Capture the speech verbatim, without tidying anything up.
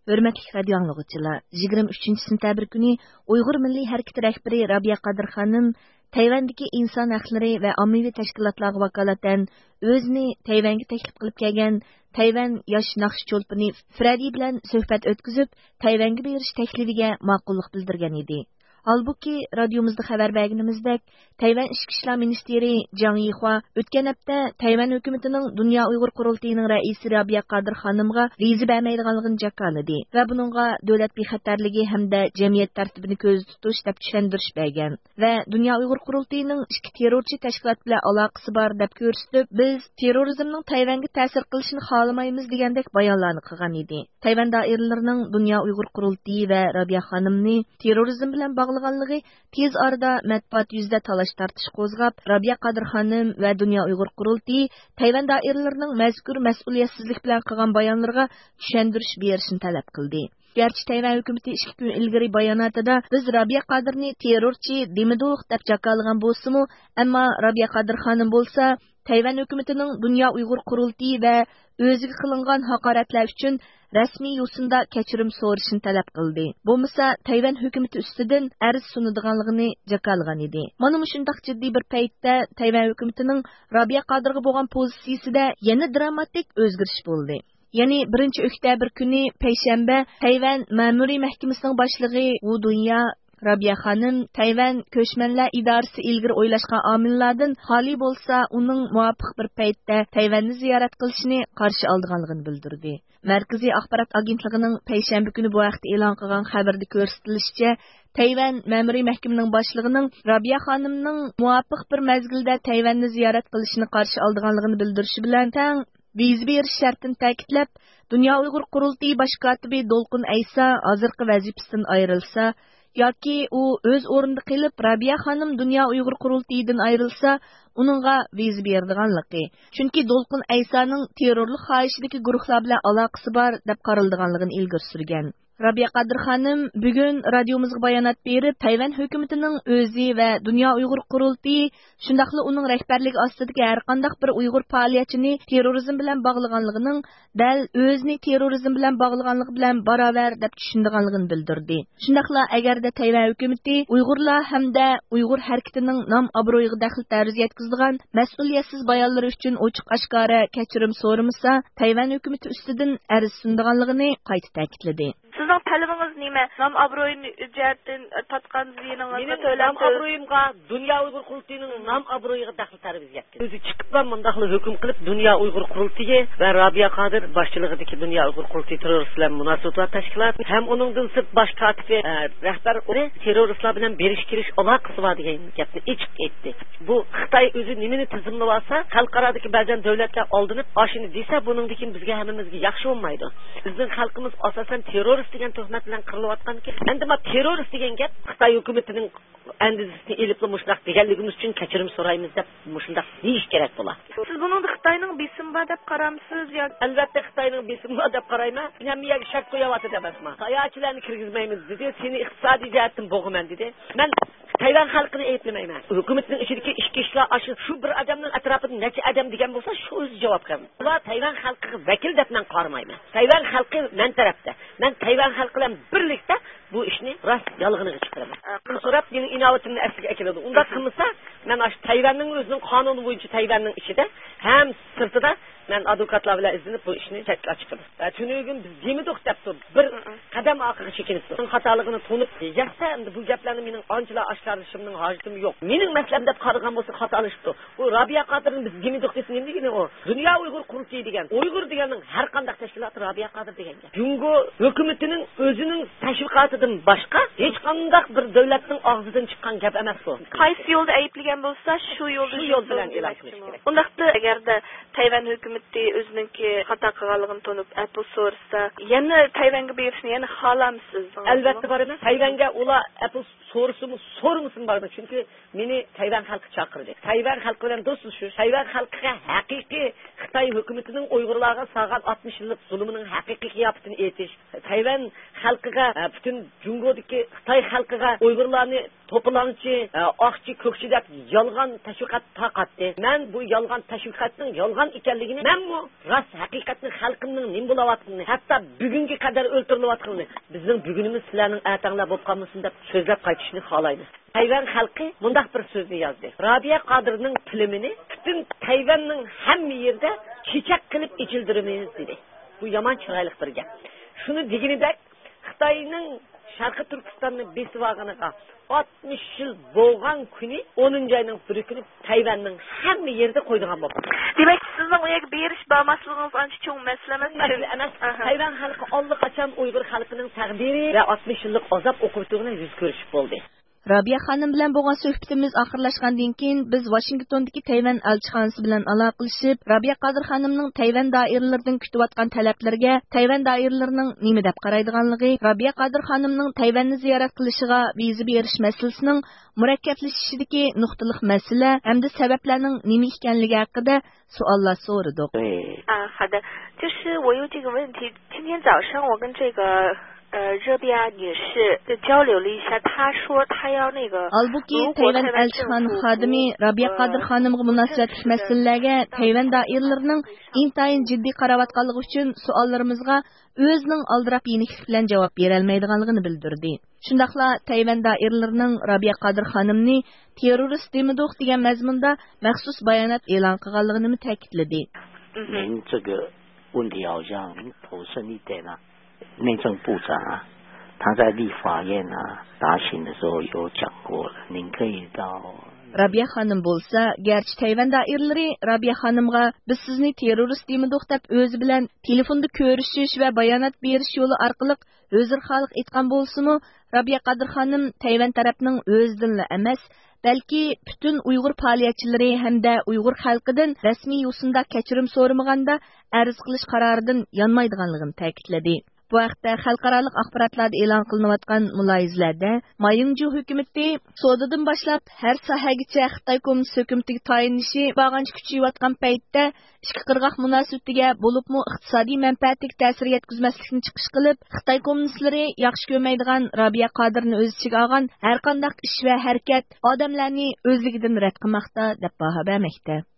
ھۆرمەتلىك رادىيو ئاڭلىغۇچىلار، يىگىرمە ئۈچىنچى سېنتەبىر كۈنى ئۇيغۇر مىللىي ھەرىكىتى رەھبىرى رابىيە قادىر خانىم تەيۋەندىكى ئىنسان ھەقلىرى ۋە ئاممىۋى تەشكىلاتلارغا ۋاكالىتەن ئۆزىنى تەيۋەنگە تەكلىپ قىلىپ كەلگەن تەيۋەن ياش ناخشا چولپىنى فرېددى بىلەن سۆھبەت ئۆتكۈزۈپ، تەيۋەنگە بېرىش تەكلىپىگە ماقۇللۇق بىلدۈرگەن ئىدى. ھالبۇكى، رادىيومىزدا خەۋەر بەرگىنىمىزدەك، تەيۋەن ئىچكى ئىشلار مىنىستىرى جاڭ يىخۇا ئۆتكەن ھەپتە تەيۋەن ھۆكۈمىتىنىڭ دۇنيا ئۇيغۇر قۇرۇلتىيىنىڭ رەئىسى رابىيە قادىر خانىمغا ۋىزا بەرمەيدىغانلىقىنى جاكارلىدى ۋە بۇنىڭغا دۆلەت بىخەتەرلىكى ھەمدە جەمئىيەت تەرتىپىنى كۆزدە تۇتۇش دەپ چۈشەندۈرۈش بەرگەن ۋە دۇنيا ئۇيغۇر قۇرۇلتىيىنىڭ ئىككى تېررورچى تەشكىلات بىلەن ئالاقىسى بار دەپ كۆرسىتىپ، بىز تېررورىزمنىڭ تەيۋەنگە تەسىر قىلىشىنى خالىمايمىز دېگەندەك بايانلارنى قىلغان ئىدى. تەيۋەن دائىرىلىرىنىڭ دۇنيا ئۇيغۇر قۇرۇلتىيى ۋە رابىيە خانىمنى تېررورىزم بىلەن باغلىغانلىقى تېز ئارىدا مەتبۇئات يۈزىدە تالاش-تارتىش قوزغاپ، رابىيە قادىر خانىم ۋە دۇنيا ئۇيغۇر قۇرۇلتىيى تەيۋەن دائىرىلىرىنىڭ مەزكۇر مەسئۇلىيەتسىزلىك بىلەن قىلغان بايانلىرىغا چۈشەندۈرۈش بېرىشنى تەلەپ قىلدى. گەرچە تەيۋەن ھۆكۈمىتى ئىككى كۈن ئىلگىرى باياناتىدا، بىز رابىيە قادىرنى تېررورچى دېمىدۇق دەپ جاكارلىغان بولسىمۇ، ئەمما رابىيە قادىر خانىم بولسا، تەيۋەن ھۆكۈمىتىنىڭ دۇنيا ئۇيغۇر قۇرۇلتىيى ۋە ئۆزىگە قىلىنغان ھاقارەتلەر ئۈچۈن رەسمىي يوسۇندا كەچۈرۈم سورىشىنى تەلەپ قىلدى. بولمىسا، تەيۋەن ھۆكۈمىتى ئۈستىدىن ئەرز سۇنىدىغانلىقىنى جاكارلىغان ئىدى. مانا مۇشۇنداق جىددىي بىر پەيتتە تەيۋەن ھۆكۈمىتىنىڭ رابىيە قادىرغا بولغان پوزىتسىيىسىدە يەنە دراماتىك ئۆزگىرىش بولدى. يەنى بىرىنچى ئۆكتەبىر كۈنى پەيشەنبە تەيۋەن مەمۇرىي مەھكىمىسىنىڭ باشلىقى ۋۇ دۇنيا رابىيە خانىم تەيۋەن كۆچمەنلەر ئىدارىسى ئىلگىرى ئويلاشقان ئامىللاردىن خالىي بولسا، ئۇنىڭ مۇۋاپىق بىر پەيتتە تەيۋەننى زىيارەت قىلىشىنى قارشى ئالىدىغانلىقىنى بىلدۈردى. مەركىزىي ئاخبارات ئاگېنتلىقىنىڭ پەيشەنبە كۈنى بۇ ھەقتە ئېلان قىلغان خەۋىرىدە كۆرسىتىلىشىچە، تەيۋەن مەمۇرىي مەھكىمىنىڭ باشلىقىنىڭ رابىيە خانىمنىڭ مۇۋاپىق بىر مەزگىلدە تەيۋەننى زىيارەت قىلىشىنى قارشى ئالىدىغانلىقىنى بىلدۈرۈشى بىلەن تەڭ، ۋىزا بېرىش شەرتىنى تەكىتلەپ، دۇنيا ئۇيغۇر قۇرۇلتىيى باش كاتىپى دولقۇن ئەيسا ھازىرقى ۋەزىپىسىدىن ئايرىلسا ياكى ئۇ ئۆز ئورنىدا قېلىپ، رابىيە خانىم دۇنيا ئۇيغۇر قۇرۇلتىيىدىن ئايرىلسا، ئۇنىڭغا ۋىزا بېرىدىغانلىقى، چۈنكى دولقۇن ئەيسانىڭ تېررورلۇق خاھىشىدىكى گۇرۇھلار بىلەن ئالاقىسى بار، دەپ قارىلىدىغانلىقىنى ئىلگىرى سۈرگەن. رابىيە قادىر خانىم بۈگۈن رادىيومىزغا بايانات بېرىپ، تەيۋەن ھۆكۈمىتىنىڭ ئۆزى ۋە دۇنيا ئۇيغۇر قۇرۇلتىيى، شۇنداقلا ئۇنىڭ رەھبەرلىكى ئاستىدىكى ھەرقانداق بىر ئۇيغۇر پائالىيەتچىنى تېررورىزم بىلەن باغلىغانلىقىنىڭ دەل ئۆزىنى تېررورىزم بىلەن باغلىغانلىقى بىلەن باراۋەر دەپ چۈشىنىدىغانلىقىنى بىلدۈردى. شۇنداقلا ئەگەردە تەيۋەن ھۆكۈمىتى ئۇيغۇرلار ھەمدە ئۇيغۇر ھەرىكىتىنىڭ نام-ئابرۇيىغا دەخلى-تەرۇز يەتكۈزىدىغان مەسئۇلىيەتسىز بايانلىرى ئۈچۈن ئوچۇق-ئاشكارا كەچۈرۈم سورىمىسا، تەيۋەن ھۆكۈمىتى ئۈستىدىن ئەرز سۇنىدىغانلىقىنى قايتا تەكىتلىدى. سىزنىڭ تەلىپىڭىز نېمە؟ نام ئابرۇيى جەھەتتىن تارتقان زىيىنىڭىزنى مېنىڭ تۆلەپ نام تۇر- ئابرۇيۇمغا، دۇنيا ئۇيغۇر قۇرۇلتىيىنىڭ نام ئابرۇيىغا دەخلى تەرۇز يەتكۈزدى. ئۆزى چىقىپلا مۇنداقلا ھۆكۈم قىلىپ، دۇنيا ئۇيغۇر قۇرۇلتىيى ۋە رابىيە قادىر باشچىلىقىدىكى دۇنيا ئۇيغۇر قۇرۇلتىيى تېررورىست بىلەن مۇناسىۋىتى بار تەشكىلات ھەم ئۇنىڭدىن سىرت باش كاتىپى، ئە، رەھبەر ئۇنى تېررورىستلار بىلەن بېرىش كېلىش ئالاقىسى بار دېگەن گەپنى ئېچىق ئېيتتى. بۇ خىتاي ئۆزى نېمىنى تىزىملىۋالسا، خەلقئارادىكى بەزەن دۆلەتلەر ئالدىنىپ ئاشۇنى دېسە، بۇنىڭدىن كېيىن بىزگە ھەممىمىزگە ياخشى بولمايدۇ. بىزنىڭ خەلقىمىز ئاساسەن تېررورىست دېگەن تۆھمەت بىلەن قىرىلىۋاتقانىكەن. ئەمدى ما تېررورىست دېگەن گەپ خىتاي ھۆكۈمىتىنىڭ ئەندىزىسىنى ئېلىپلا مۇشۇنداق دېگەنلىكىمىز ئۈچۈن كەچۈرۈم سورايمىز دەپ مۇشۇنداق دېيىش كېرەك بولا. سىز بۇنىڭدا خىتاينىڭ بېسىمى بار دەپ قارامسىز ياكى؟ ئەلۋەتتە خىتاينىڭ بېسىمى بار دەپ قارايمەن. ھەممە يەرگە شەرت قويۇۋاتىدۇ ئەمەسمۇ. ساياھەتچىلەرنى كىرگۈزمەيمىز دېدى، سېنى ئىقتىسادىي جەھەتتىن بوغىمەن دېدى. مەن تەيۋەن خەلقىنى ئەيىبلىمەيمەن. ھۆكۈمەتنىڭ ئىچىدىكى ئىچكى ئىشلار ئاشۇ، شۇ بىر ئادەمنىڭ ئەتراپىدا نەچچە ئادەم دېگەن بولسا، شۇ ئۆزى جاۋابكار. ئۇلار تەيۋەن خەلقىگە ۋەكىل دەپ مەن قارىمايمەن. تەيۋەن خەلقى مەن تەرەپتە. مەن تەيۋەن خەلقى بىلەن بىرلىكتە بۇ ئىشنى راست يالغىنىغا چىقىرىمەن. ئە، سوراپ، مېنىڭ ئىناۋىتىمنى ئەسلىگە ئەكېلىدۇ. ئۇنداق قىلمىسا، مەن ئاشۇ تەيۋەننىڭ ئۆزىنىڭ قانۇنى بويىچە تەيۋەننىڭ ئىچىدە ھەم سىرتىدا مەن ئادۋوكاتلار بىلەن ئىزدىنىپ بۇ ئىشنى چەتكە چىقىمەن. ئە، تۈنۈگۈن بىز دېمىدۇق دەپتۇ. بىر قەدەم ئارقىغا چېكىنىپتۇ. خاتالىقىنى تونۇپ يەتسە، ئەمدى بۇ گەپلەرنى مېنىڭ ئانچىلا ئاشكارىلىشىمنىڭ ھاجىتىمۇ يوق. مېنىڭ مەسىلەم دەپ قارىغان بولسا خاتالىشىپتۇ. بۇ رابىيە قادىرنى بىز دېمىدۇق دېسە نېمە دېگىنى ئۇ؟ دۇنيا ئۇيغۇر قۇرۇلتىيى دېگەن، ئۇيغۇر دېگەننىڭ ھەر قانداق تەشكىلاتى رابىيە قادىر دېگەن گەپ. جۇڭگو ھۆكۈمىتىنىڭ ئۆزىنىڭ تەشۋىقاتىدىن باشقا ھېچقانداق بىر دۆلەتنىڭ ئاغزىدىن چىققان گەپ ئەمەس بۇ. قايسى يولدا ئەيىبلىگەن بولسا، شۇ يولدا شۇ يول بىلەن ئېلان قىلىش كېرەك. ئۇنداقتا ئەگەردە تەيۋەن ھۆكۈمىتى ئۆزىنىڭكى خاتا قىلغانلىقىنى تونۇپ، ئەپۇ سورىسا، يەنە تەيۋەنگە بېرىشنى يەنە خالامسىز؟ ئەلۋەتتە بارىمەن. تەيۋەنگە ئۇلار ئەپۇ سورىسىمۇ، سورىمىسىمۇ بارىمەن. چۈنكى مېنى تەيۋەن خەلقى چاقىردى. تەيۋەن خەلقى بىلەن دوستلىشىش، تەيۋەن خەلقىگە ھەقىقىي خىتاي ھۆكۈمىتىنىڭ ئۇيغۇرلارغا سالغان ئاتمىش يىللىق زۇلۇمىنىڭ ھەقىقىي قىياپىتىنى ئېيتىش، تەيۋەن خەلقىگە، ئە، پۈتۈن جۇڭگودىكى خىتاي خەلقىگە ئۇيغۇرلارنى توپىلاڭچى، ئە، ئاقچى، كۆكچى دەپ يالغان تەشۋىقات تارقاتتى. مەن بۇ يالغان تەشۋىقاتنىڭ يالغان ئىكەنلىكىنى، مەنمۇ راست ھەقىقەتنى، خەلقىمنىڭ نېمە بولۇۋاتقىنىنى، ھەتتا بۈگۈنگە قەدەر ئۆلتۈرۈلۈۋاتقىنىنى، بىزنىڭ بۈگۈنىمىز سىلەرنىڭ ئەتەڭلار بولۇپ قالمىسۇن دەپ سۆزلەپ قايتىشنى خالايمەن. تەيۋەن خەلقى مۇنداق بىر سۆزنى يازدى: «رابىيە قادىرنىڭ فىلىمىنى پۈتۈن تەيۋەننىڭ ھەممە يېرىدە چېچەك قىلىپ ئېچىلدۇرىمىز» دېدى. بۇ يامان چىرايلىق بىر گەپ. شۇنى دېگىنىدەك، خىتاينىڭ شەرقىي تۈركىستاننى بېسىۋالغىنىغا ئاتمىش يىل بولغان كۈنى، ئونىنچى ئاينىڭ بىرى كۈنى تەيۋەننىڭ ھەممە يېرىدە قويىدىغان بولدى. دېمەك، سىزنىڭ ئۇ يەرگە بېرىش بارماسلىقىڭىز ئانچە چوڭ مەسىلە ئەمەس. مەسىلە ئەمەس. ئاھا. تەيۋەن خەلقى ئاللىقاچان ئۇيغۇر خەلقىنىڭ تەقدىرى ۋە ئاتمىش يىللىق ئازاب ئوقۇبىتىغا يۈز كۆرۈشۈپ بولدى. رابىيە خانىم بىلەن بولغان سۆھبىتىمىز ئاخىرلاشقاندىن كېيىن، بىز ۋاشىنگتوندىكى تەيۋەن ئەلچىخانىسى بىلەن ئالاقىلىشىپ، رابىيە قادىر خانىمنىڭ تەيۋەن دائىرىلىرىدىن كۈتۈۋاتقان تەلەپلىرىگە تەيۋەن دائىرىلىرىنىڭ نېمە دەپ قارايدىغانلىقى، رابىيە قادىر خانىمنىڭ تەيۋەننى زىيارەت قىلىشىغا ۋىزا بېرىش مەسىلىسىنىڭ مۇرەككەپلىشىشىدىكى نۇقتىلىق مەسىلە ھەمدە سەۋەبلەرنىڭ نېمە ئىكەنلىكى ھەققىدە سوئاللار سورىدۇق. 对。 啊，好的，就是我有这个问题。今天早上我跟这个呃热比亚女士就交流了一下，她说她要那个 ھالبۇكى تەيۋەن ئەلچىخانا خادىمى رابىيە قادىر خانىمغا مۇناسىۋەتلىك مەسىلىلەرگە تەيۋەن دائىرىلىرىنىڭ ئىنتايىن جىددىي قاراۋاتقانلىقى ئۈچۈن سوئاللىرىمىزغا ئۆزىنىڭ ئالدىراپ يېنىكلىك بىلەن جاۋاب بېرەلمەيدىغانلىقىنى بىلدۈردى. شۇنداقلا تەيۋەن دائىرىلىرىنىڭ رابىيە قادىر خانىمنى تېررورىست دېمىدۇق دېگەن مەزمۇندا مەخسۇس بايانات ئېلان قىلغانلىقىنىمۇ تەكىتلىدى. 您这个问题好像投诉你点了内政部长啊，他在立法院啊答询的时候有讲过了，您可以到 رابىيە خانىم بولسا، گەرچە تەيۋەن دائىرىلىرى رابىيە خانىمغا بىز سىزنى تېررورىست دېمىدۇق دەپ ئۆزى بىلەن تېلېفوندا كۆرۈشۈش ۋە بايانات بېرىش يولى ئارقىلىق ئۆزرىخاھلىق ئېيتقان بولسىمۇ، رابىيە قادىر خانىم تەيۋەن تەرەپنىڭ ئۆزىدىنلا ئەمەس، بەلكى پۈتۈن ئۇيغۇر پائالىيەتچىلىرى ھەمدە ئۇيغۇر خەلقىدىن رەسمىي يوسۇندا كەچۈرۈم سورىمىغاندا ئەرز قىلىش قارارىدىن يانمايدىغانلىقىنى تەكىتلىدى. بۇ ھەقتە خەلقئارالىق ئاخباراتلاردا ئېلان قىلىنىۋاتقان مۇلاھىزىلەردە مايىڭجۇ ھۆكۈمىتى سودىدىن باشلاپ ھەر ساھەگىچە خىتاي كوممۇنىست ھۆكۈمىتىگە تايىنىشى بارغانچە كۈچىيىۋاتقان پەيتتە، ئىككى قىرغاق مۇناسىۋىتىگە، بولۇپمۇ ئىقتىسادىي مەنپەئەتىگە تەسىر يەتكۈزمەسلىكنى چىقىش قىلىپ، خىتاي كوممۇنىستلىرى ياخشى كۆرمەيدىغان رابىيە قادىرنى ئۆز ئىچىگە ئالغان ھەرقانداق ئىش ۋە ھەرىكەت ئادەملەرنى ئۆزلۈكىدىن رەت قىلماقتا، دەپ باھا بەرمەكتە.